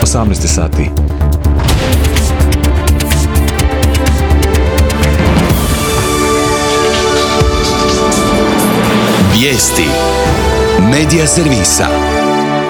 18 sati. Vijesti Medija servisa.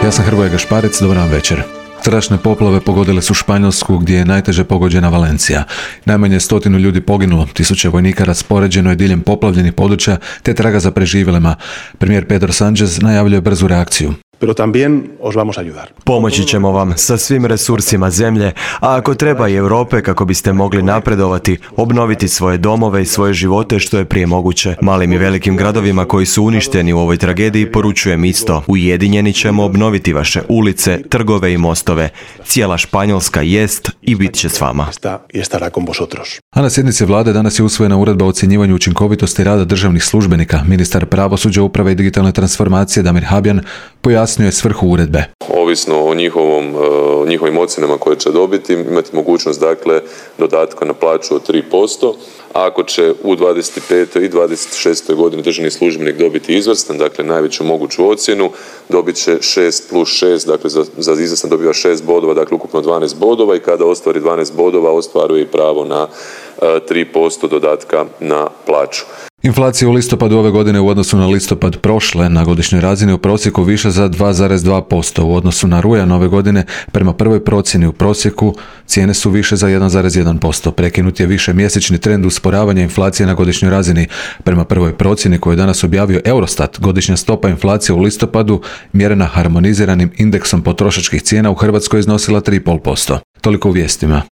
Ja sam Hrvoje Gašparec, dobar vam večer. Strašne poplave pogodile su Španjolsku gdje je najteže pogođena Valencija. Najmanje 100 ljudi poginulo, tisuće vojnika raspoređeno je diljem poplavljenih područja te traga za preživjelima. Premijer Pedro Sánchez najavljuje brzu reakciju. Pero también os vamos a ayudar. Pomoći ćemo vam sa svim resursima zemlje, a ako treba i Europe kako biste mogli napredovati, obnoviti svoje domove i svoje živote što je prije moguće. Malim i velikim gradovima koji su uništeni u ovoj tragediji poručujem isto. Ujedinjeni ćemo obnoviti vaše ulice, trgove i mostove. Cijela Španjolska jest i bit će s vama. A na sjednici vlade danas je usvojena uredba o ocjenjivanju učinkovitosti rada državnih službenika. Ministar pravosuđa, uprave i digitalne transformacije Damir Habjan pojasnio je svrhu uredbe. Ovisno o njihovim ocjenama koje će dobiti, imati mogućnost dakle dodatka na plaću od 3%. A ako će u 25. i 26. godini državni službenik dobiti izvrstan, dakle najveću moguću ocjenu, dobit će 6+6, dakle za izvrstan dobiva 6 bodova, dakle ukupno 12 bodova i kada ostvari 12 bodova ostvaruje i pravo na 3% dodatka na plaću. Inflacija u listopadu ove godine u odnosu na listopad prošle na godišnjoj razini u prosjeku više za 2,2%. U odnosu na rujan ove godine prema prvoj procjeni u prosjeku cijene su više za 1,1%. Prekinut je više mjesečni trend usporavanja inflacije na godišnjoj razini. Prema prvoj procjeni koju je danas objavio Eurostat, godišnja stopa inflacije u listopadu mjerena harmoniziranim indeksom potrošačkih cijena u Hrvatskoj iznosila 3,5%. Toliko u vijestima.